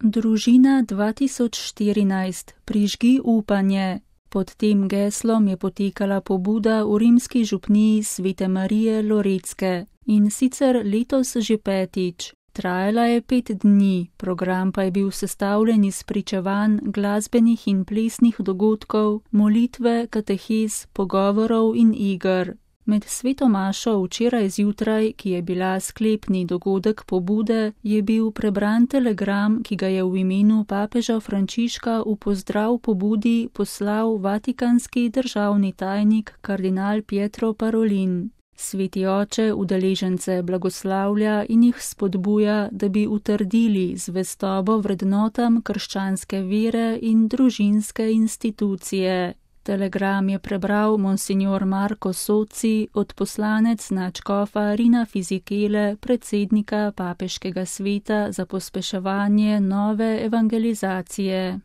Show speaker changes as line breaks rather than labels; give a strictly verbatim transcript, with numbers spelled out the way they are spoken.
Družina dva tisoč štirinajst. Prižgi upanje. Pod tem geslom je potekala pobuda v rimski župniji Svete Marije Loretske in sicer letos že petič. Trajala je pet dni, program pa je bil sestavljen iz pričevanj, glasbenih in plesnih dogodkov, molitve, katehez, pogovorov in iger. Med sveto mašo včeraj zjutraj, ki je bila sklepni dogodek pobude, je bil prebran telegram, ki ga je v imenu papeža Frančiška v pozdrav pobudi poslal vatikanski državni tajnik kardinal Pietro Parolin. Sveti oče udeležence blagoslavlja in jih spodbuja, da bi utrdili zvestobo vrednotam krščanske vere in družinske institucije. Telegram je prebral monsignor Marko Soci, odposlanec nadškofa Rina Fizikele, predsednika papeškega sveta za pospeševanje nove evangelizacije.